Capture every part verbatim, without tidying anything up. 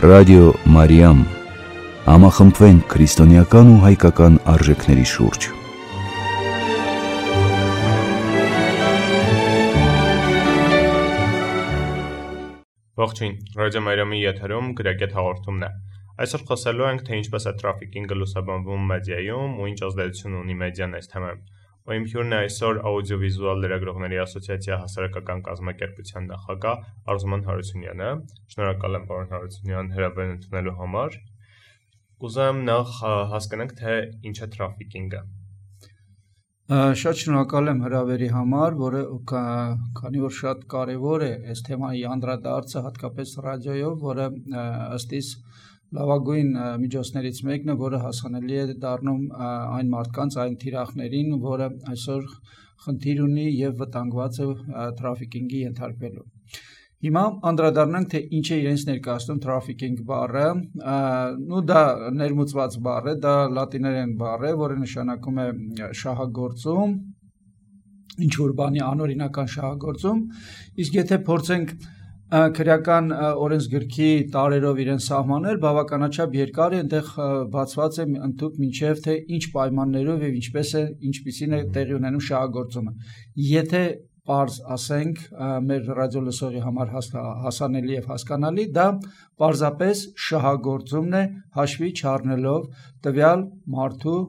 Ռադիո Մարիամ, համախմբվենք քրիստոնեական ու հայկական արժեքների շուրջ։ Ողջույն, Ռադիո Մարիամի եթերում գրագետ հաղորդումն է։ Այսօր խոսելու ենք, թե ինչպես է թրաֆիքինգը լուսաբանվում մեդիայում ու ինչ ազդեցություն ունի մեդիան այս թեմայում։ Ու իմ հյուրն է այսօր աուդիովիզուալ լրագրողների ասոցիացիա հասարակական կազմակերպության նախագահ Արզուման Հարությունյանը։ Շնորհակալ եմ, պարոն Հարությունյան, հրավերն ընդունելու համար։ Կուզեմ նախ հասկանանք, թե ինչ է թրաֆիքինգը։ Շատ շնորհակալ եմ հրավերի համար, որը քանի որ շատ կարևոր է այս թեմայի անդրադարձը, հատկապես ռադիոյով, որը ըստ իս լավագույն միջոցներից մեկն է, որը հասանելի է դառնում այն մարդկանց, այն թիրախներին, որը այսօր խնդիր ունի եւ վտանգված է թրաֆիքինգի ենթարկվելու։ Հիմա անդրադառնանք, թե ինչ է իրենց ներկայացնում թրաֆիքինգ բառը, ու դա ներմուծված բառ է, դա լատիներեն բառ է, որը նշանակում է շահագործում, ինչ որ բանի անօրինական շահագործում, իսկ եթե փորձենք քրեական օրենսգրքի տարերով իրեն սահմանել, բավականաչափ երկար է, այնտեղ բացված է ընդհանուր մինչև թե ինչ պայմաններով եւ ինչպես է, ինչպիսին է տեղի ունենում շահագործումը։ Եթե պարզ ասենք մեր ռադիոլսողի համար հասանելի եւ հասկանալի, դա պարզապես շահագործումն է հաշվի չառնելով տվյալ մարդու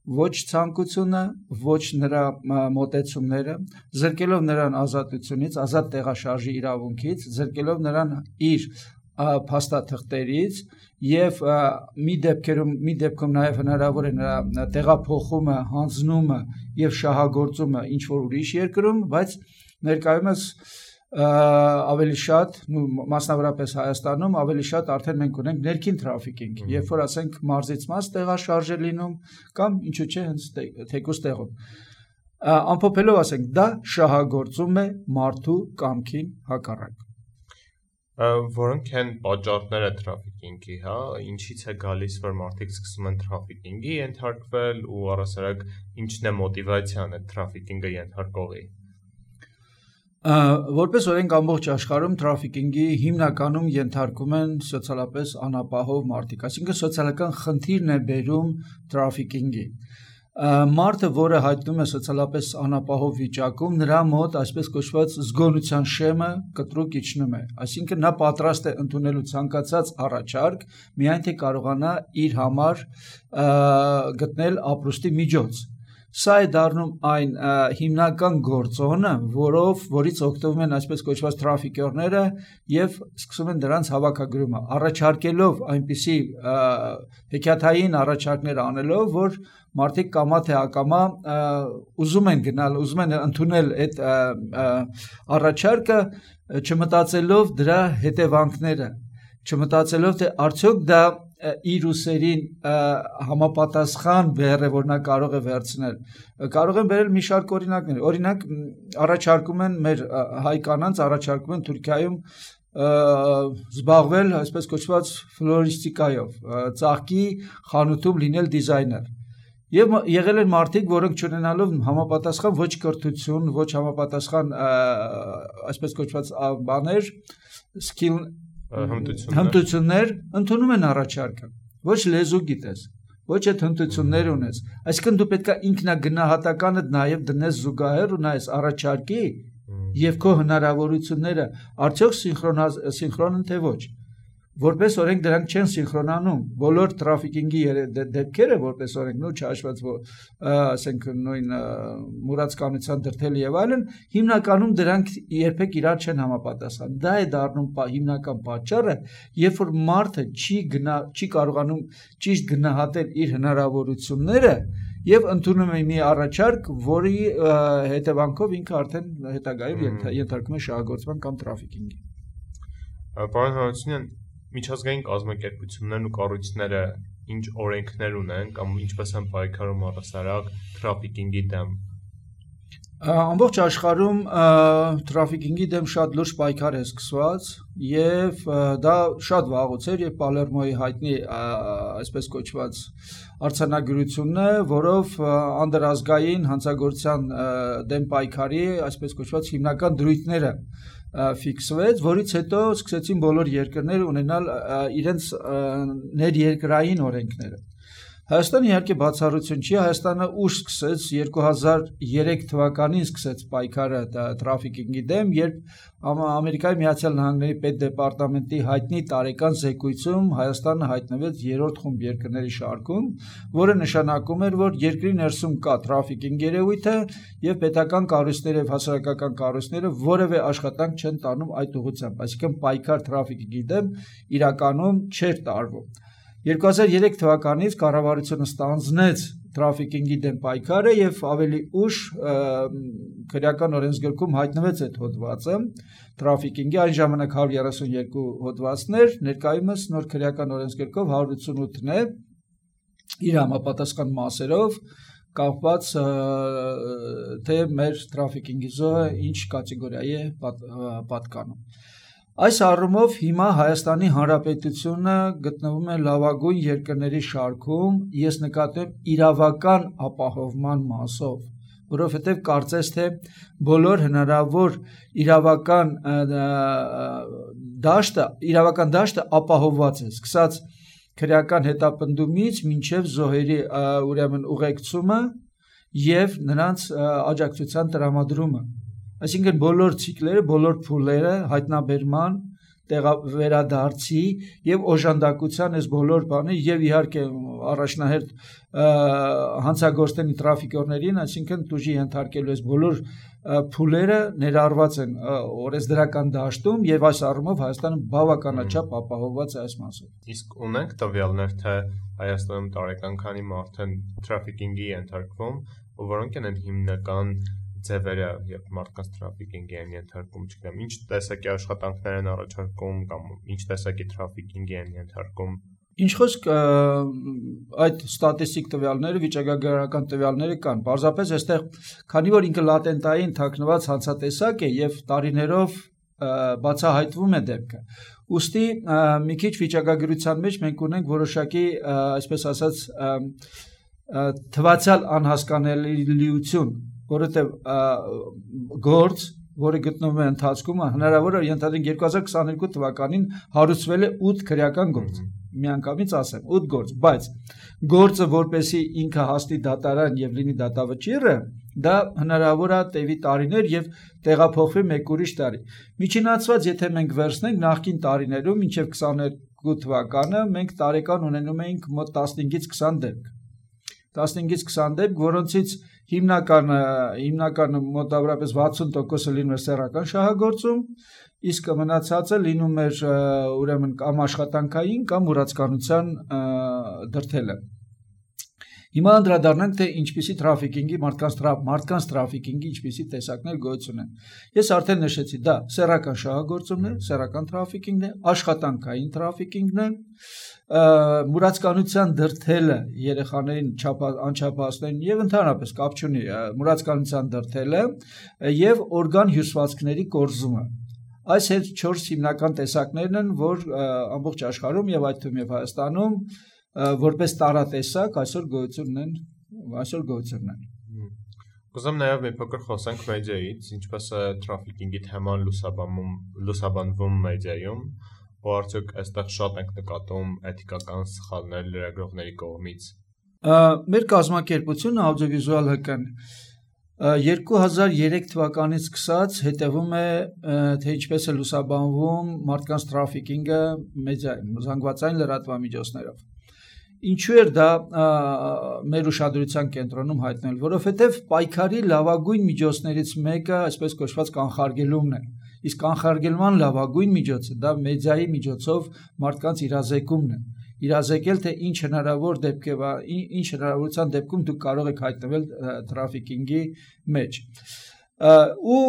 ոչ ցանկությունը, ոչ նրա մոտեցումները, զրկելով նրան ազատությունից, ազատ տեղաշարժի իրավունքից, զրկելով նրան իր փաստաթղթերից եւ մի դեպքերում մի դեպքում նաեւ հնարավոր է նրա տեղափոխումը, հանձնումը եւ շահագործումը ինչ որ ուրիշ երկրում, բայց ներկայումս ավելի շատ, մասնավորապես Հայաստանում ավելի շատ արդեն մենք ունենք ներքին թրաֆիքինգ, երբ որ ասենք մարզից մարզ տեղաշարժ է լինում կամ ինչու՞ չէ հենց թեկուզ տեղում։ Ամփոփելով ասենք, դա շահագործում է մարդու կամքին հակառակ։ Որոնք են պատճառները թրաֆիքինգի, հա, ինչից է գալիս, որ մարդիկ սկսում են թրաֆիքինգի ենթարկվել ու առասարակ ինչն է մոտիվացիան այդ թրաֆիքինգը ենթարկողի։ Որպես օրենք ամբողջ աշխարհում թրաֆիքինգի հիմնականում ենթարկում են սոցիալապես անապահով մարդիկ, այսինքն սոցիալական խնդիրն է բերում թրաֆիքինգի։ Մարդը, որը հայտնում է սոցիալապես անապահով վիճակում, նրա մոտ այսպես կոչված զգոնության շեմը կտրուկ իջնում է, այսինքն նա պատրաստ է ընդունելու ցանկացած առաջարկ, միայն թե կարողանա իր համար գտնել ապրուստի միջոց։ Սա է դառնում այն հիմնական գործոնը, որով որից օգտվում են այսպես կոչված թրաֆիկերները եւ սկսում են դրանց հավաքագրումը, առաջարկելով այնպիսի հեքիաթային առաջարկներ անելով, որ մարդիկ կամա թե ակամա ուզում են գնալ, ուզում են ընդունել այդ առաջարկը, չմտածելով դրա հետևանքները, չմտածելով թե արդյոք դա իր ուսերին համապատասխան բեռ է, որ նա կարող է վերցնել։ Կարող են բերել մի շարք օրինակներ։ Օրինակ, առաջարկում են մեր հայ կանանց, առաջարկում են Թուրքիայում զբաղվել այսպես կոչված ֆլորիստիկայով, ծաղկի խանութում լինել դիզայներ։ Եվ եղել են մարդիկ, որոնք չունենալով համապատասխան ոչ կրթություն, ոչ համապատասխան այսպես կոչված բաներ, skill հմտություններ ընդունում են առաջարկը, ոչ լեզու գիտես, ոչ այդ հմտություններ ունես, այսինքն դու պետք է ինքնագնահատականը նաև դնես զուգահեռ ու նայես առաջարկի եւ քո հնարավորությունները արդյոք սինխրոն են թե ոչ, որպես օրենք դրանք չեն սինխրոնանում, բոլոր թրաֆիքինգի դեպքերը որպես օրենք նույն չհաշված, ասենք նույն մուրացկանության դրդել եւ այլն, հիմնականում դրանք երբեք իրար չեն համապատասխան։ Դա է դառնում հիմնական պատճառը, երբ որ մարդը չի գնա, չի կարողանում ճիշտ գնահատել իր հնարավորությունները եւ ընդունում է մի առաջարկ, որի հետևանքով ինքը արդեն հետագայում ենթարկվում է շահագործման կամ թրաֆիքինգի։ Պարոն Հարությունյան, միջազգային կազմակերպություններն ու կառույցները ինչ օրենքներ ունեն կամ ինչպես են պայքարում առասարակ թրաֆիքինգի դեմ։ Ամբողջ աշխարհում թրաֆիկինգի դեմ շատ լուրջ պայքար է սկսված եւ դա շատ վաղուց էր, եւ Պալերմոյի հայտնի այսպես կոչված արձանագրությունն է, որով անդրազգային հանցագործության դեմ պայքարի այսպես կոչված հիմնական դրույթները ֆիքսվեց, որից հետո սկսեցին բոլոր երկրները ունենալ իրենց ներերկրային օրենքները։ Հայաստանը իհարկե բացառություն չի, Հայաստանը ուշ սկսեց երկու հազար երեք թվականին սկսեց պայքարը թրաֆիկինգի դեմ, երբ Ամերիկայի Միացյալ Նահանգների պետդեպարտամենտի հայտնի տարեկան զեկույցում Հայաստանը հայտնվեց երրորդ խումբ երկրների շարքում, որը նշանակում էր, որ երկրի ներսում կա թրաֆիկինգ երևույթը եւ պետական կառույցները եւ հասարակական կառույցները որևէ աշխատանք չեն տանում այդ ուղղությամբ, այսինքն պայքար թրաֆիկինգի դեմ իրականում չէր տարվում։ երկու հազար երեք թվականից կառավարությունը ստանձնեց թրաֆիկինգի դեմ պայքարը եւ ավելի ուշ քրեական օրենսգրքում հայտնվեց այդ հոդվածը թրաֆիկինգի այն ժամանակ հարյուր երեսունյոթ հոդվածներ, ներկայումս նոր քրեական օրենսգրքով հարյուր ութսունութն է իր համապատասխան մասերով կապված թե մեր թրաֆիկինգի զոհը ինչ կատեգորիայի է պատկանում։ Այս առումով հիմա Հայաստանի Հանրապետությունը գտնվում է լավագույն երկրների շարքում, ես նկատեմ իրավական ապահովման մասով, որովհետև կարծես թե բոլոր հնարավոր իրավական դաշտը, իրավական դաշտը ապահովված է, սկսած քրեական հետապնդումից մինչև զոհերի ուրեմն ուղեկցումը եւ նրանց աջակցության տրամադրումը։ Այսինքն բոլոր ցիկլերը, բոլոր փուլերը հայտնաբերման, վերադարձի եւ օժանդակության այս բոլոր բանը եւ իհարկե առաջնահերթ հանցագործների տրաֆիկորներին, այսինքն տուժի ենթարկելու այս բոլոր փուլերը ներառված են օրենսդրական դաշտում եւ այս առումով Հայաստանը բավականաչափ ապահովված է այս մասով։ Իսկ ունենք տվյալներ, թե Հայաստանում տարեկան քանի մարդ են տրաֆիկինգի ենթարկվում, ու որոնք են հիմնական ձևերը, երբ մարդկանց թրաֆիկինգի են ենթարկում, չգիտեմ, ինչ տեսակի աշխատանքներ են առաջարկում կամ ինչ տեսակի թրաֆիկինգի են ենթարկում։ Ինչ խոսք այդ ստատիստիկ տվյալները, վիճակագրական տվյալները կան։ Պարզապես այստեղ, քանի որ ինքը լատենտային թաքնված հանցատեսակ է եւ տարիներով բացահայտվում է դեպքը, ուստի մի քիչ վիճակագրության մեջ մենք ունենք որոշակի, այսպես ասած, թվացial անհասկանալիություն, որովհետև գործ, որը գտնվում է ընթացքում, հնարավոր է ենթադրենք երկու հազար քսաներկու թվականին հարուցվել է ութ քրեական գործ, միանգամից ասեմ, ութ գործ, բայց գործը որպեսի ինքը հասնի դատարան եւ լինի դատավճիռը, դա հնարավոր է տևի տարիներ եւ տեղափոխվի մեկ ուրիշ տարի։ Միջինացված, եթե մենք վերցնենք նախկին տարիներում, մինչեւ քսաներկու թվականը, մենք տարեկան ունենում էինք մոտ տասնհինգից քսան դեպք։ տասնհինգից քսան դեպք, որոնցից հիմնականը հիմնականը մոտավորապես վաթսուն տոկոսը լինում էր սեռական շահագործում, իսկ մնացածը լինում էր ուրեմն կամ աշխատանքային կամ մուրացկանության դրդելը։ Հիմա անդրադառնանք, թե ինչպիսի թրաֆիկինգի մարդկանց մարդկանց թրաֆիկինգի ինչպիսի տեսակներ գոյություն են։ Ես արդեն նշեցի, դա սեռական շահագործումն է, սեռական թրաֆիկինգն է, աշխատանքային թրաֆիկինգն է, մուրացկանության դրդելը երեխաներին անչափահասներին եւ ընդհանրապես կապ չունի մուրացկանության դրդելը եւ օրգան հյուսվածքների կորզումը։ Այս հետ չորս հիմնական տեսակներն են, որ ամբողջ աշխարհում եւ այդ թվում եւ Հայաստանում որպես տարատեսակ այսօր գոյություն ունեն, այսօր գոյություն ունեն։ Կուզեմ նաեւ մի փոքր խոսենք մեդիայից, ինչպես է թրաֆիկինգի թեման լուսաբանում լուսաբանվում մեդիայում, ու արդյոք այստեղ շատ ենք նկատում էթիկական սխալներ լրագրողների կողմից։ Մեր կազմակերպությունը աուդիովիզուալ հկն երկու հազար երեք թվականից սկսած հետևում է, թե ինչպես է լուսաբանվում մարդկանց թրաֆիկինգը մեդիայում, զանգվածային լրատվամիջոցներով։ Ինչու էր դա մեր ուշադրության կենտրոնում հայտնել, որովհետև պայքարի լավագույն միջոցներից մեկը, այսպես կոչված կանխարգելումն է։ Իսկ կանխարգելման լավագույն միջոցը դա մեդիայի միջոցով մարդկանց իրազեկումն է։ Իրազեկել, թե ինչ հնարավոր դեպքով, ինչ հնարավորության դեպքում դուք կարող եք հայտնվել թրաֆիկինգի մեջ։ Ու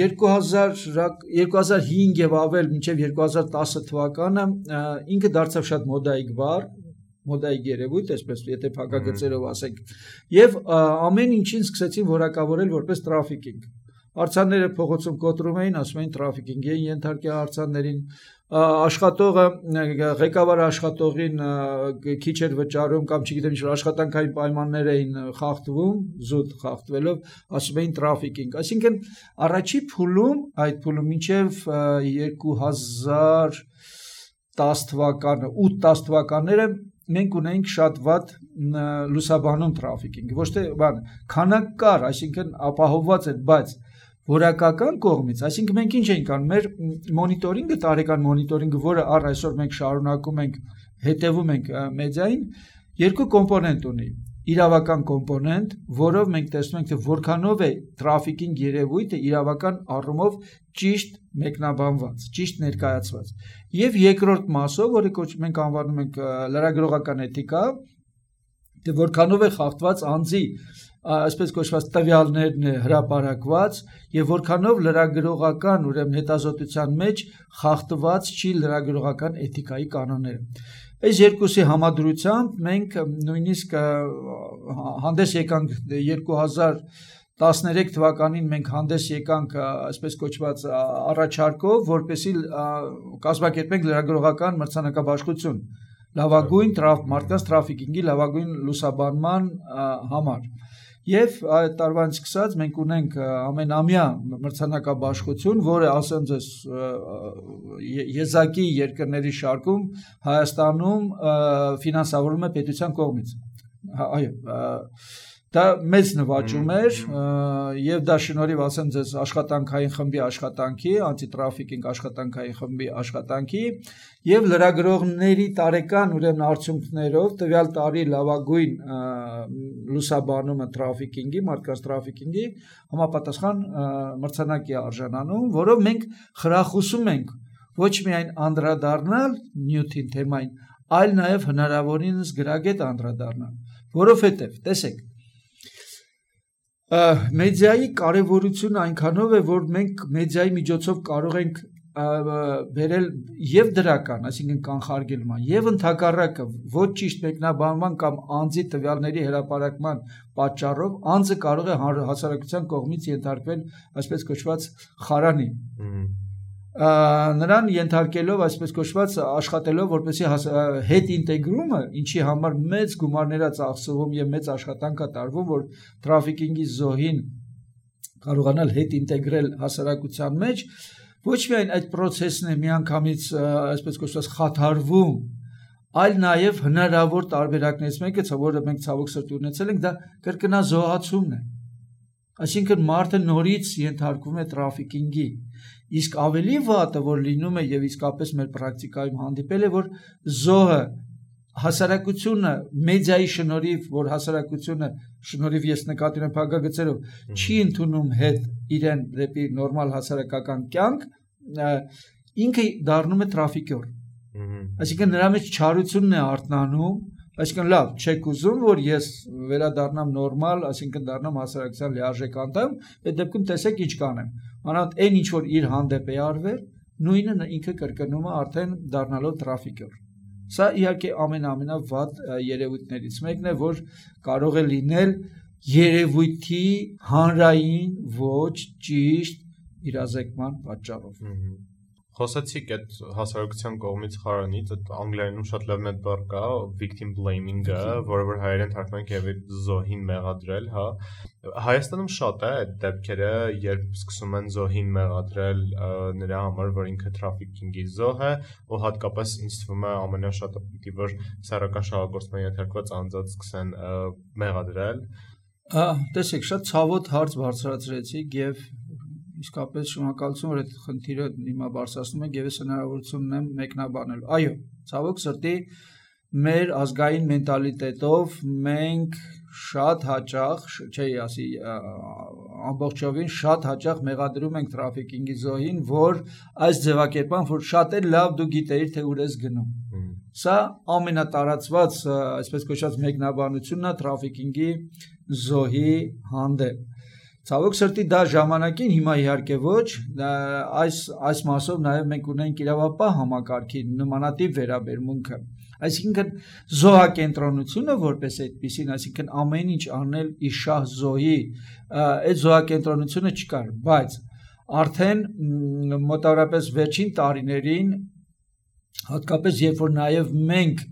երկու հազար հինգ եւ ավել մինչեւ երկու հազար տասը թվականը ինքը դարձավ շատ մոդայիկ բառ, մոդայիկ երևույթ, այսպես եթե փակագծերով ասենք, եւ ամեն ինչին սկսեցին որակավորել որպես տրաֆիկինգ։ Արձանները փողոցում կոտրում էին, ասում էին տրաֆիկինգ էին ենթարկել արձաններին, աշխատողը ղեկավարը աշխատողին քիչ էր վճարում կամ չգիտեմ ինչ աշխատանքային պայմաններ էին խախտվում, զուտ խախտվելով, ասում էին տրաֆիկինգ։ Այսինքն առաջի փուլում, այդ փուլում մինչև երկու հազար տասը թվականը, ութ տասը թվականները մենք ունենք շատ վատ լուսաբանում տրաֆիկինգ, ոչ թե բան, քանակ կար, այսինքն ապահովված էր, բայց որակական կողմից, այսինքն մենք ինչ ենք անում, մեր մոնիտորինգը, տարեկան մոնիտորինգը, որը առ այսօր մենք շարունակում ենք, հետևում ենք մեդիային, երկու կոմպոնենտ ունի։ Իրավական կոմպոնենտ, որով մենք տեսնում ենք, թե որքանով է տրաֆիկինգ երևույթը իրավական առումով ճիշտ մեկնաբանված, ճիշտ ներկայացված։ Եվ երկրորդ մասով, որը մենք անվանում ենք լրագրողական էթիկա, թե որքանով է խախտված անձի այսպես կոչված տվյալներն է հրապարակված եւ որքանով լրագրողական ուրեմն հետազոտության մեջ խախտված չի լրագրողական էթիկայի կանոնները։ Այս երկուսի համադրությամբ մենք նույնիսկ հանդես եկանք երկու հազար տասներեք թվականին մենք հանդես եկանք այսպես կոչված առաջարկով, որպեսզի կազմակերպենք լրագրողական մրցանակաբաշխություն լավագույն մարդկանց տրաֆիկինգի լավագույն լուսաբանման համար։ Եվ այդ տարվանից սկսած մենք ունենք ամենամյա մրցանակաբաշխություն, որը ասեմ ձեզ եզակի երկրների շարքում Հայաստանում ֆինանսավորվում է պետության կողմից։ Այո, դա մեծ նվաճում էր եւ դա շնորհիվ ասեմ ձեզ աշխատանքային խմբի աշխատանքի, անտիտրաֆիկինգ աշխատանքային խմբի աշխատանքի եւ լրագրողների տարեկան ուրեմն արդյունքներով տվյալ տարի լավագույն լուսաբանումը տրաֆիկինգի, մարդկանց տրաֆիկինգի համապատասխան մրցանակի արժանանում, որով մենք խրախուսում ենք ոչ միայն անդրադառնալ նյութին թեմային, այլ նաեւ հնարավորինս գրագետ անդրադառնալ, որովհետեւ տեսեք մեդիայի կարևորությունը այնքանով է, որ մենք մեդիայի միջոցով կարող ենք բերել եւ դրական, այսինքն կանխարգելման, եւ ընդհակառակը ոչ ճիշտ մեկնաբանման կամ անձի տվյալների հրապարակման պատճառով անձը կարող է հասարակության կողմից ենթարկվել այսպես կոչված խարանի։ Նրան ենթարկելով այսպես կոչված աշխատելով որպեսզի հետ ինտեգրումը, ինչի համար մեծ գումարներ է ծախսվում եւ մեծ աշխատանք է տարվում, որ տրաֆիկինգի զոհին կարողանալ հետ ինտեգրել հասարակության մեջ, ոչ միայն այդ process-ն է միանգամից այսպես կոչված խաթարվում, այլ նաեւ հնարավոր տարբերակներից մեկը, որը մենք ցավոք սրտի ունեցել ենք, դա կրկնազոհացումն է։ Այսինքն մարդը նորից ենթարկվում է տրաֆիկինգի, իսկ ավելի վատը, որ լինում է եւ իսկապես մեր պրակտիկայում հանդիպել է, որ զոհը հասարակությունը մեդիայի շնորհիվ, որ հասարակությունը շնորհիվ ես նկատի ունեմ փակագծերով, չի ընդունում հետ իրեն դեպի նորմալ հասարակական կյանք, ինքը դառնում է տրաֆիկյոր։ Այսինքն նրա մեջ չարությունն է արթնանում, այսինքն լավ, չեք ուզում, որ ես վերադառնամ նորմալ, այսինքն դառնամ հասարակության լիարժեք անդամ, այդ դեպքում տեսեք ինչ կանեմ։ Մանավանդ այն ինչ որ իր հանդեպ է արվել, նույնը ինքը կրկնում է արդեն դառնալով տրաֆիկյոր։ Սա իհարկե ամենամենավատ երևույթներից մեկն է, որ կարող է լինել երևույթի հանրային ոչ ճիշտ իրազեկման պատճառով։ Խոսեցիք այդ հասարակության կողմից խարանից, այդ անգլերենում շատ լավ մեծ բառ կա, victim blaming-ը, որը որ հայերեն թարգմանենք եւ զոհին մեղադրել, հա։ Հայաստանում շատ է այդ դեպքերը, երբ սկսում են զոհին մեղադրել նրա համար, որ ինքը տրաֆիկինգի զոհ է, ու հատկապես ինձ թվում է ամենաշատը պիտի որ սեռական շահագործման ենթարկված անձած սկսեն մեղադրել։ Տեսեք, շատ ցավոտ հարց բարձրացրեցիք եւ իսկապես շնորհակալություն, որ այդ խնդիրը հիմա բարձրացնում եք եւ ես հնարավորություն ունեմ մեկնաբանելու։ Այո, ցավոք սրտի մեր ազգային մենտալիտետով մենք շատ հաճախ, չէի ասի, ամբողջովին շատ հաճախ մեղադրում ենք տրաֆիկինգի զոհին, որ այս ձևակերպան, որ շատ է լավ դու գիտեիր, թե ուր ես գնում։ Սա ամենատարածված, այսպես կոչված մեկնաբանությունն է տրաֆիկինգի զոհի հանդեպ։ Ցավոք սրտի դա ժամանակին հիմա իհարկե ոչ, այս այս մասով նաև մենք ունենք իրավապահ համակարգի նմանատիպ վերաբերմունքը։ Այսինքն զոհակենտրոնությունը որպես այդպեսին, այսինքն ամեն ինչ անել իր շահ զոհի, այդ զոհակենտրոնությունը չկար, բայց արդեն մոտավորապես վերջին տարիներին, հատկապես երբ որ նաև մենք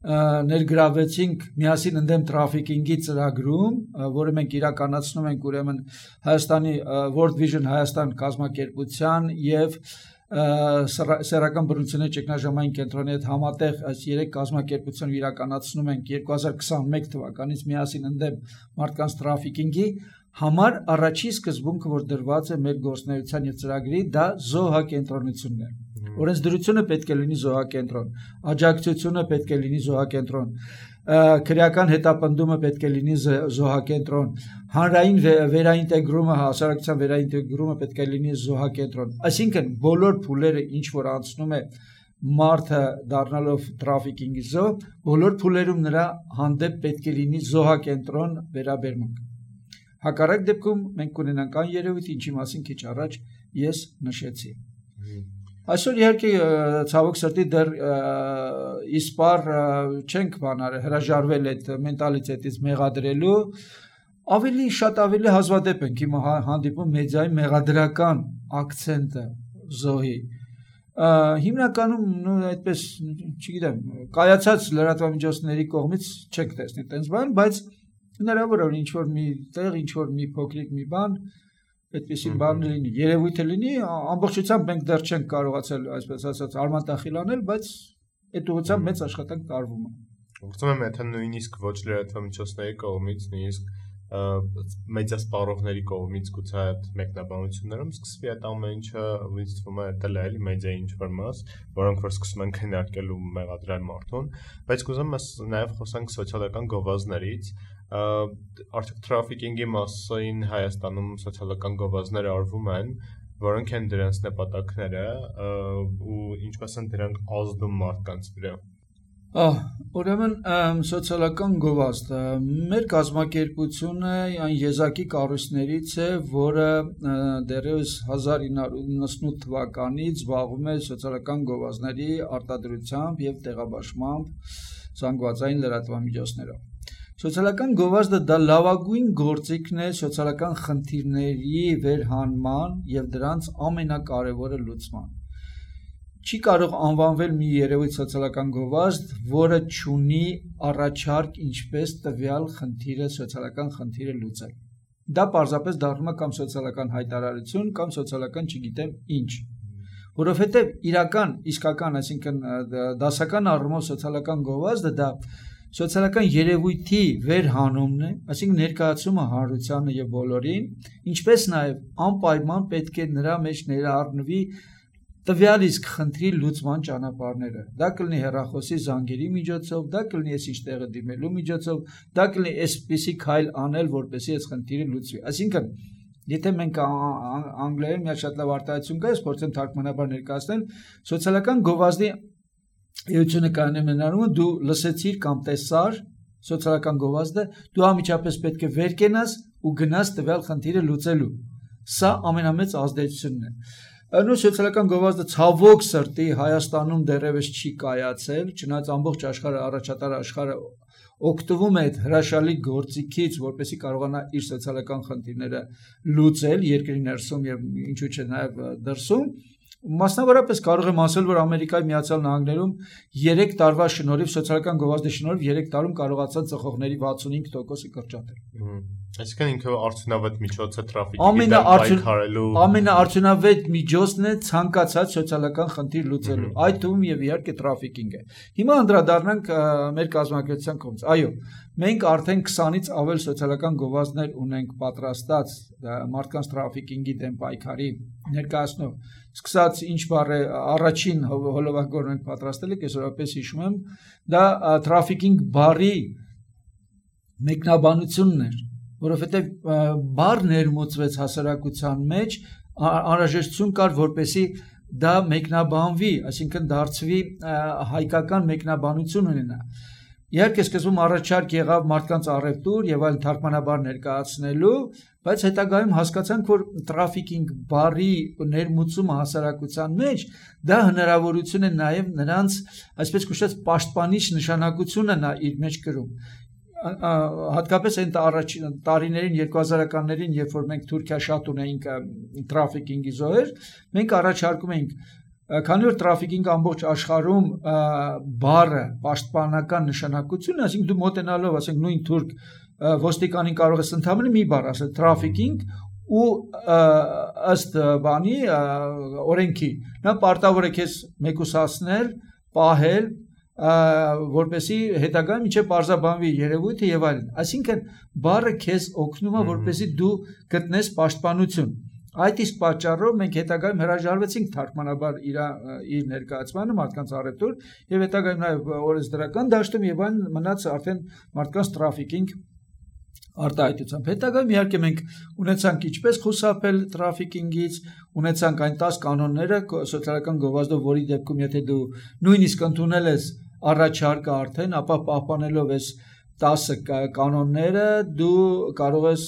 ներգրավեցինք միասին ընդդեմ տրաֆիկինգի ծրագրում, որը մենք իրականացնում ենք ուրեմն Հայաստանի World Vision Հայաստան կազմակերպության եւ սեռական բռնությունների ճգնաժամային կենտրոնի հետ համատեղ այս երեք կազմակերպությունները իրականացնում ենք երկու հազար քսաներկու թվականից միասին ընդդեմ մարդկանց տրաֆիկինգի համար առաջի սկզբունքը, որ դրված է մեր գործունեության եւ ծրագրի, դա զոհակենտրոնությունն է։ Օրենսդրությունը պետք է լինի զոհակենտրոն, աջակցությունը պետք է լինի զոհակենտրոն, քրեական հետապնդումը պետք է լինի զոհակենտրոն, հանրային վերաինտեգրումը, հասարակության վերաինտեգրումը պետք է լինի զոհակենտրոն։ Այսինքն բոլոր փուլերը, ինչ որ անցնում է մարդը դառնալով տրաֆիկինգի զոհ, բոլոր փուլերում նրա հանդեպ պետք է լինի զոհակենտրոն վերաբերմունք։ Հակառակ դեպքում մենք կունենանք այն երևույթ, ինչի մասին քիչ առաջ ես նշեցի։ Այսօր իհարկե ցավոք սրտի դեռ իսպար չենք բանալ հրաժարվել այդ մենտալիտետից մեղադրելու, ավելի շատ ավելի հազվադեպ ենք հիմա հանդիպում մեդիայի մեղադրական ակցենտը զոհի։ Հիմնականում նո այդպես, չգիտեմ, կայացած լրատվամիջոցների կողմից չեք տեսնի տենց բան, բայց հնարավոր է ինչ որ մի տեղ, ինչ որ մի փոքրիկ մի բան այդպեսի բան լինի, երևույթը լինի, ամբողջությամբ մենք դեռ չենք կարողացել, այսպես ասած, արմատախիլ անել, բայց այդ ուղղությամբ մեծ աշխատանք տարվում է։ Կարծում եմ, եթե նույնիսկ ոչ լրատվամիջոցների կողմից, նույնիսկ մեդիա սպառողների կողմից գուցե այդ մեկնաբանություններում սկսվի այդ ամեն ինչը, ինձ թվում է դա էլի մեդիայի ինչ-որ մաս, որոնք որ սկսում են քննարկել ու մեղադրել մարդուն, բայց կուզեմ նաև խոսանք սոցիալական գովազդներից, արդյոք տրաֆիկինգի մասին Հայաստանում սոցիալական գովազդներ արվում են, որոնք են դրանց նպատակները ու ինչպես են դրանք ազդում մարդկանց վրա։ Ուրեմն սոցիալական գովազդը մեր կազմակերպությունը այն եզակի կառույցներից է, որը դեռևս հազար ինը հարյուր իննսունութ թվականից զբաղվում է սոցիալական գովազդների արտադրությամբ եւ տեղաբաշխմամբ զանգվածային լրատվամիջոցներով։ Սոցիալական գովազդը դա լավագույն գործիքն է սոցիալական խնդիրների վերհանման եւ դրանց ամենակարևորը լուծման։ Չի կարող անվանվել մի երևույթ սոցիալական գովազդ, որը չունի առաջարկ ինչպես տվյալ խնդիրը, սոցիալական խնդիրը լուծել։ Դա պարզապես դառնում է կամ սոցիալական հայտարարություն, կամ սոցիալական չգիտեմ ինչ։ Որովհետեւ իրական, իսկական, այսինքն դասական առումով սոցիալական գովազդը դա սոցիալական երևույթի վերհանումն է, այսինքն ներկայացումը հանրությանը եւ բոլորին, ինչպես նաեւ անպայման պետք է նրա մեջ ներառնվի տվյալ իսկ խնդրի լուծման ճանապարհները։ Դա կլինի հեռախոսի զանգերի միջոցով, դա կլինի այս ինչ տեղը դիմելու միջոցով, դա կլինի այսպիսի քայլ անել, որպեսզի այս խնդիրը լուծվի։ Այսինքն, եթե մենք անգլերեն մի շատ լավ արտահայտություն կա, ես փորձեմ թարգմանաբար ներկայացնել, սոցիալական գովազդի էությունը կայանում է նրանում, դու լսեցիր կամ տեսար սոցիալական գովազդը, դու անմիջապես պետք է վեր կենաս ու գնաս տվյալ խնդիրը լուծելու։ Սա ամենամեծ ազդեցությունն է։ Նույն սոցիալական գովազդը ցավոք սրտի Հայաստանում դեռևս չի կայացել, չնայած ամբողջ աշխարհը, առաջատար աշխարհը օգտվում է այդ հրաշալի գործիքից, որպեսզի կարողանա իր սոցիալական խնդիրները լուծել երկրի ներսում եւ ինչու՞ չէ նաեւ դրսում։ Մասնավորապես կարող եմ ասել, որ Ամերիկայի Միացյալ Նահանգներում երեք տարվա շնորհիվ սոցիալական գովազդի շնորհիվ երեք տարում կարողացան ծխողների վաթսունհինգ տոկոսը կրճատել։ Այսինքն ինքը արդյունավետ միջոց է տրաֆիկի դեմ պայքարելու։ Ամենաարդյունավետ միջոցն է ցանկացած սոցիալական խնդիր լուծելու, այդ թվում եւ իհարկե տրաֆիկինգը։ Հիմա անդրադառնանք մեր կազմակերպության կողմից։ Այո, մենք արդեն քսանից ավել սոցիալական գովազդներ ունենք պատրաստած մարդկանց տրաֆիկինգի դեմ պայքարի ներկայացնող։ Սկսած ինչ բառ է առաջին հոլովակը մենք պատրաստել ենք, այսօրապես հիշում եմ, դա տրաֆիկինգ բառի մեկնաբանությունն էր, որովհետև բառ ներմուծվեց հասարակության մեջ, անհրաժեշտություն կար, որպեսզի դա մեկնաբանվի, այսինքն դարձվի հայկական մեկնաբանություն ունենա։ Իհարկե սկզբում առաջարկ եղավ մարդկանց առևտուր եւ այլ թարգմանաբար ներկայացնելու, բայց հետագայում հասկացանք, որ trafficking բառի ներմուծումը հասարակության մեջ դա հնարավորություն է նաեւ նրանց, այսպես կոչված, պաշտպանիչ նշանակությունը նա իր մեջ կրում։ Հատկապես այն առաջին տարիներին երկու հազարականներին, երբ որ մենք Թուրքիա շատ ունեինք trafficking-ի զոհեր, մենք առաջարկում էինք, քանի որ trafficking ամբողջ աշխարհում բառը պաշտպանական նշանակություն, այսինքն դու մոտենալով, ասենք նույն թուրք ոստիկանին կարող ես ընդհանրապես մի բառ ասել trafficking ու ըստ բանի օրենքի նա պարտավոր է քեզ մեկուսացնել, պահել, որպեսի հետագայում ինչե պարզաբանվի երևույթը եւ այլն։ Այսինքն բառը քեզ օգնում է, որպեսի դու գտնես պաշտպանություն։ Այդ իսկ պատճառով մենք հետագայում հրաժարվեցինք թարգմանաբար իր իր ներկայացմանը մարդկանց առևտուր եւ հետագայում նաեւ օրենսդրական դաշտում եւ այն մնաց արդեն մարդկանց trafficking արտահայտությամբ։ Հետագայում իհարկե մենք ունեցանք ինչպես խուսափել trafficking-ից, ունեցանք այն տասը կանոնները սոցիալական գովազդով, որի դեպքում եթե դու նույնիսկ ընդունել ես առաջարկը արդեն, ապա պահպանելով ես տասը կանոնները դու կարող ես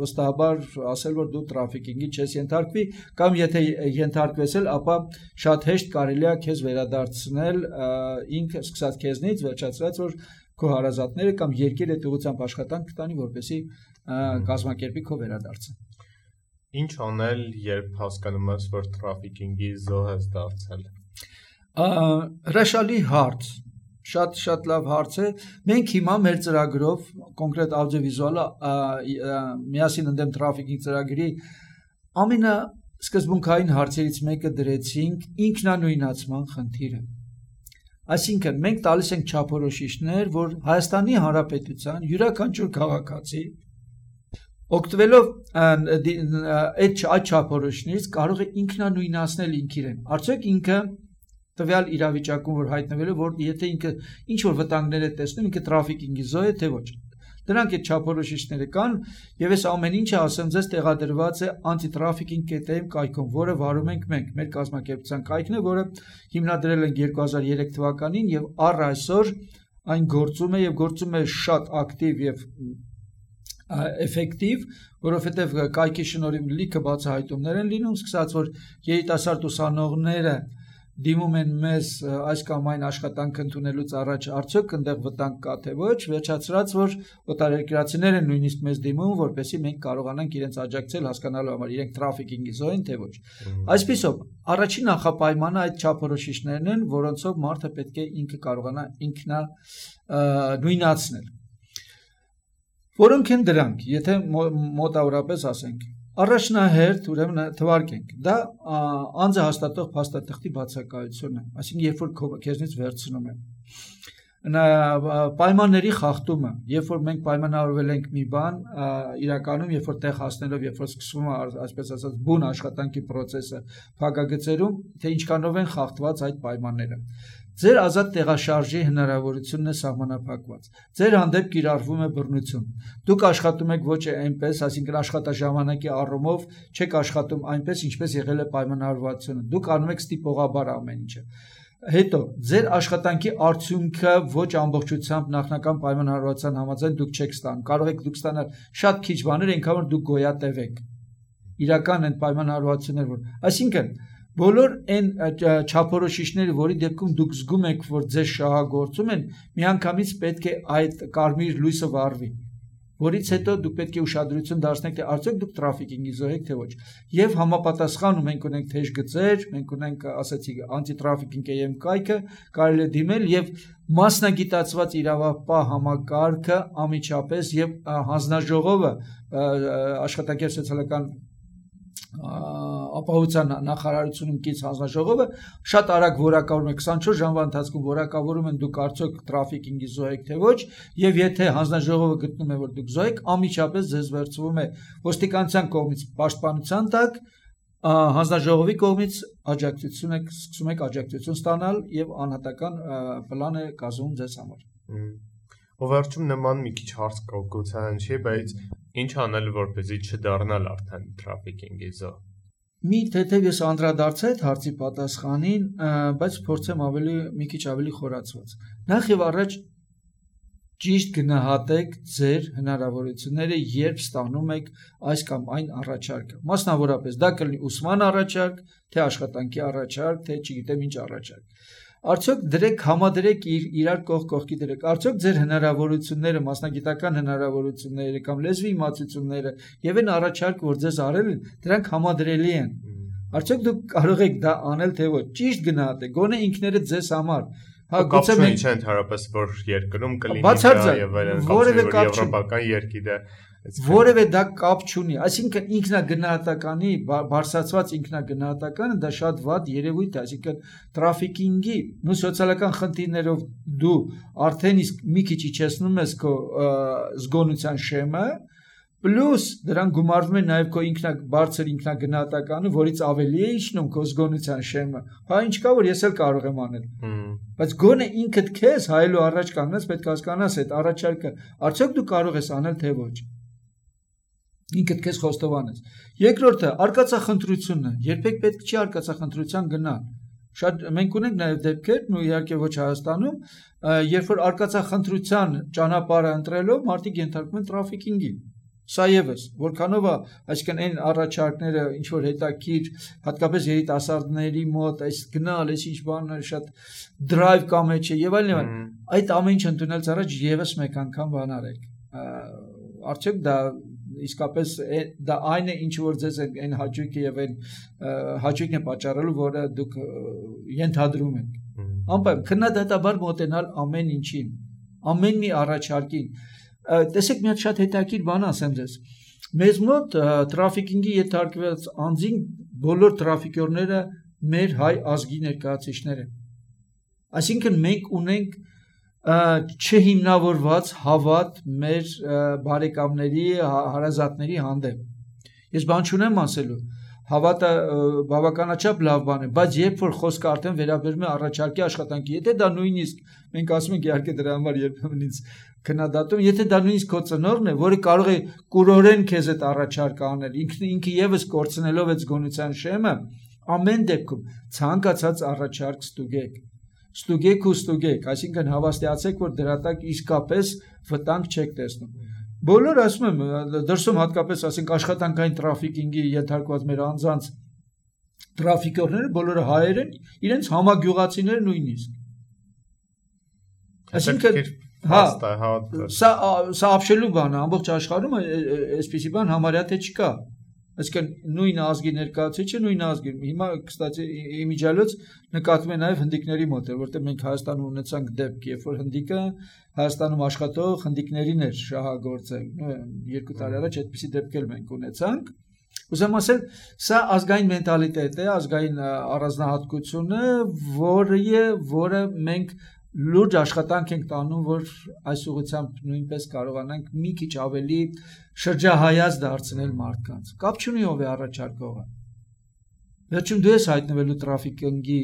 վստահաբար ասել, որ դու trafficking-ի չես ենթարկվի, կամ եթե ենթարկվես էլ, ապա շատ հեշտ կարելի է քեզ վերադարձնել ինքը սկսած քեզնից, վերջացրած որ քո հարազատները կամ երկիր այդ ուղղությամբ աշխատանք կտանի, որպեսզի կազմակերպի քո վերադարձը։ Ինչ անել, երբ հասկանում ես, որ trafficking-ի զոհ ես դարձել։ Հրաշալի հարց, շատ շատ լավ հարց է։ Մենք հիմա մեր ծրագրով, կոնկրետ աուդիովիզուալը միասին ընդդեմ trafficking ծրագրի ամենասկզբունքային հարցերից մեկը դրեցինք ինքնանույնացման խնդիրը։ Այսինքն մենք տալիս ենք չափորոշիչներ, որ Հայաստանի Հանրապետության յուրաքանչյուր քաղաքացի օգտվելով այդ չափորոշիչներից կարող է ինքնանույնացնել ինքն իրեն։ Արդյոք ինքը տվյալ իրավիճակում որ հայտնվել է, որ եթե ինքը ինչ որ վտանգներ է տեսնում, ինքը trafficking-ի զոհ է, թե ոչ։ Դրանք այդ չափորոշիչները կան, եւ այս ամեն ինչը ասեմ ձեզ տեղադրված է anti-trafficking կետ էմ կայքում, որը վարում ենք մենք, մեր կազմակերպության կայքն է, որը հիմնադրել ենք երկու հազար երեք թվականին եւ առ այսօր այն գործում է եւ գործում է շատ ակտիվ եւ էֆեկտիվ, որովհետեւ կայքի շնորհիվ լիքը բացահայտումներ են լինում, սկսած որ երիտասարդ ուսանողները դիմում են մեզ այս կամ այն աշխատանք ընդունելուց առաջ արդյոք այնտեղ վտանգ կա թե ոչ, վերջացրած որ օտարերկրացիներ են նույնիսկ մեզ դիմում, որպեսզի մենք կարողանանք իրենց աջակցել հասկանալու համար իրենք trafficking-ի զոհ են թե ոչ։ Այսպիսով, առաջին նախապայմանը այդ չափորոշիչներն են, որոնցով մարդը պետք է ինքը կարողանա ինքնա նույնացնել։ Որոնք են դրանք, եթե մոտավորապես ասենք։ Առաջնահերթ ուրեմն թվարկենք, դա անձը հաստատող փաստաթղթի բացակայությունը, այսինքն երբ որ քեզնից վերցնում են։ Պայմանների խախտումը, երբ որ մենք պայմանավորվել ենք մի բան, իրականում երբ որ տեղ հասնելով, երբ որ սկսվում է, այսպես ասած, բուն աշխատանքի process-ը փակագծերում, թե ինչքանով են խախտված այդ պայմանները։ Ձեր ազատ տեղաշարժի հնարավորությունն է սահմանափակված։ Ձեր հանդեպ կիրառվում է բռնություն։ Դուք աշխատում եք ոչ այնպես, այսինքն աշխատաժամանակի առումով չեք աշխատում այնպես, ինչպես եղել է պայմանավորվածությունը։ Դուք անում եք ստիպողաբար ամեն ինչը։ Հետո ձեր աշխատանքի արդյունքը ոչ ամբողջությամբ նախնական պայմանավորվածության համաձայն դուք չեք ստանում։ Կարող եք դուք ստանալ շատ քիչ բաներ, այնքան որ դուք գոյատև եք։ Իրական են պայմանավորվածություններ, որ այսինքն բոլոր այն չափորոշիչները, որի դեպքում դուք զգում եք, որ ձեզ շահագործում են, միանգամից պետք է այդ կարմիր լույսը վառվի, որից հետո դուք պետք է ուշադրություն դարձնեք, թե արդյոք դուք trafficking-ի զոհ եք, թե ոչ։ Եվ համապատասխան մենք ունենք թեժ գծեր, մենք ունենք, ասացի, anti-trafficking կետ էմ կայքը, կարելի է դիմել եւ մասնագիտացված իրավապահ համակարգը անմիջապես եւ հանձնաժողովը աշխատանքի սոցիալական ապահովության նախարարությունում կից հանձնաժողովը շատ արագ որակավորում է քսանչորս ժամվա ընթացքում որակավորում են դուք արդյոք trafficking-ի զոհ եք թե ոչ, եւ եթե հանձնաժողովը գտնում է որ դուք զոհ եք, անմիջապես ձեզ վերցվում է ոստիկանության կողմից պաշտպանության տակ, հանձնաժողովի կողմից աջակցություն եք սկսում եք աջակցություն ստանալ եւ անհատական պլան է կազմում ձեզ համար։ Ով վերջում նման մի քիչ հարց կողքության չի, բայց ինչ անել որպեսզի չդառնալ արդեն trafficking-ի զոհ։ Մի թեթև ես անդրադարձա այդ հարցի պատասխանին, բայց փորձեմ ավելի մի քիչ ավելի խորացված։ Նախ եւ առաջ ճիշտ գնահատեք ձեր հնարավորությունները, երբ ստանում եք այս կամ այն առաջարկը։ Մասնավորապես դա կլինի ուսման առաջարկ, թե աշխատանքի առաջարկ, թե չգիտեմ ինչ առաջարկ։ Արդյոք դրեք համադրեք իր իրար կողք կողքի դրեք։ Արդյոք ձեր հնարավորությունները, մասնագիտական հնարավորությունները կամ լեզվի իմացությունները եւ այն առաջարկը, որ ձեզ արել են, դրանք համադրելի են։ Արդյոք դուք կարող եք դա անել թե ոչ։ Ճիշտ գնահատեք, գոնե ինքներդ ձեզ համար։ Հա, գուցե մենք չէ ընդհանրապես որ երկրում կլինի դա եւ այլն, որևէ կապ եվրոպական երկիր է, որևէ դա կապ չունի, այսինքն ինքնագնահատականի բարձրացված ինքնագնահատականը դա շատ վատ երևույթ է, այսինքն տրաֆիկինգի ու սոցիալական խնդիրներով դու արդեն իսկ մի քիչ իջեցնում ես քո զգոնության շեմը, պլյուս դրան գումարվում է նաև քո ինքնա բարձր ինքնագնահատականը, որից ավելի է իջնում քո զգոնության շեմը։ Հա ինչ կա որ ես էլ կարող եմ անել։ Բայց գոնե ինքդ քեզ հայելու առաջ կանգնես պետք է հասկանաս այդ առաջարկը արդյոք դու կարող ես անել թե ոչ։ Ինքդ քեզ խոստովանես։ Երկրորդը արկածախնդրությունը, երբեք պետք չի արկածախնդրության գնալ։ Շատ մենք ունենք նաև դեպքեր, ու իհարկե ոչ Հայաստանում, երբ որ արկածախնդրության ճանապարհը ընտրելով մարդիկ ենթարկվում են տրաֆիկինգի։ Սա եւս, որքանով է, այսինքն այն առաջարկները, ինչ որ հետաքրքիր, հատկապես երիտասարդների մոտ, այս գնալ, այս ինչ բանը շատ դրայվ կա մեջ է եւ այլն եւ այլն, այդ ամեն ինչ ընդունելուց առաջ եւս մեկ անգամ բան արեք։ Արդյոք դա իսկապես դա այն է, ինչ որ ձեզ այն հաճույքը եւ այն հաճույքն է պատճառելու, որը դուք ենթադրում եք։ Անպայման քննադատաբար մոտենալ ամեն ինչին, ամեն մի առաջարկին։ Տեսեք մի հատ շատ հետաքրքիր բան ասեմ ձեզ։ Մեզ մոտ տրաֆիկինգի ենթարկված անձին բոլոր տրաֆիկյորները մեր հայ ազգի ներկայացուցիչներ են։ Այսինքն մենք ունենք չհիմնավորված հավատ մեր բարեկամների, հարազատների հանդեպ։ Ես բան չունեմ ասելու։ Հավատը բավականաչափ լավ բան է, բայց երբ որ խոսքը արդեն վերաբերում է առաջարկի աշխատանքի, եթե դա նույնիսկ մենք ասում ենք իհարկե դրա համար երբեմն ինձ քննադատում, եթե դա նույնիսկ քո ծնողն է, որը կարող է կուրորեն քեզ այդ առաջարկը անել, ինքը ինքը եւս կորցնելով այդ զգոնության շեմը, ամեն դեպքում ցանկացած առաջարկ ստուգեք։ Ստուգեք ու ստուգեք, այսինքն հավաստիացեք, որ դրա տակ իսկապես վտանգ չեք տեսնում։ Բոլոր ասում եմ, դրսում հատկապես ասենք աշխատանքային տրաֆիկինգի ենթարկված մեր անձանց տրաֆիկորները բոլորը հայեր են, իրենց համագյուղացիներ նույնիսկ։ Այսինքն, հա, սա սա ապշելու բան է, ամբողջ աշխարհում այսպիսի բան համարյա թե չկա։ Այսինքն նույն ազգի ներկայացուցիչը նույն ազգի։ Հիմա կստացի իմիջիալոց նկատվում է նաև հնդիկների մոտ, որտեղ մենք Հայաստանում ունեցանք դեպք, երբ որ հնդիկը Հայաստանում աշխատող հնդիկներին էր շահագործել։ Երկու տարի առաջ այդպիսի դեպք էլ մենք ունեցանք։ Ուզում ասել, սա ազգային մենտալիտետ է, ազգային առանձնահատկություն է, որը որը մենք լուրջ աշխատանք ենք տանում, որ այս ուղղությամբ նույնպես կարողանանք մի քիչ ավելի շրջահայաց դարձնել մարդկանց։ Կապ չունի ով է առաջարկողը։ Վերջում դու ես հայտնվելու տրաֆիկինգի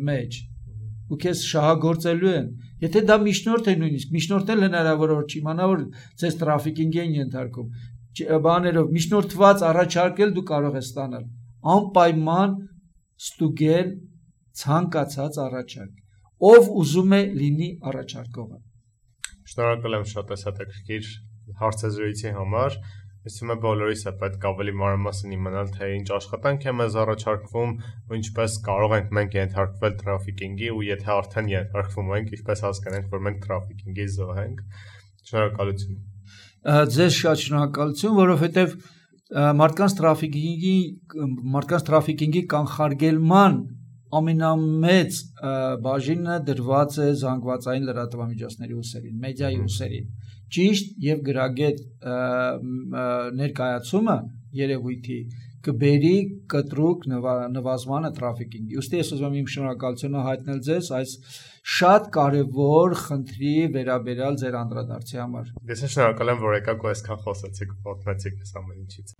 մեջ, ու քեզ շահագործելու են։ Եթե դա միջնորդ է նույնիսկ, միջնորդն էլ հնարավոր որ չիմանա, որ ձեզ տրաֆիկինգի են ենթարկում, բաներով միջնորդված առաջարկել դու կարող ես ստանալ։ Անպայման ստուգել ցանկացած առաջարկ։ Ով ուզում է լինի առաջարկողը։ Շնորհակալ եմ շատ հետաքրքիր հարցազրույցի համար։ Ես թվում է բոլորիս է պետք ավելի մանրամասն իմանալ, թե ինչ աշխատանք է մեզ առաջարկվում, ու ինչպես կարող ենք մենք ենթարկվել տրաֆիկինգի, ու եթե արդեն ենթարկվում ենք, ինչպես հասկանանք, որ մենք տրաֆիկինգի զոհ ենք։ Շնորհակալություն։ Ձեզ շատ շնորհակալություն, որովհետև մարդկանց տրաֆիկինգի մարդկանց տրաֆիկինգի կանխարգելման ամենամեծ բաժինը դրված է զանգվածային լրատվամիջոցների ուսերին, մեդիայի ուսերին։ Ճիշտ եւ գրագետ ներկայացումը երևույթի կբերի կտրուկ նվազմանը տրաֆիկինգի։ Ուստի ես ուզում եմ իմ շնորհակալությունը հայտնել ձեզ այս շատ կարևոր խնդրի վերաբերյալ ձեր անդրադարձի համար։ Ես շնորհակալ եմ, որ եկաք ու այսքան խոսեցիք ու պատմեցիք այս ամեն ինչից։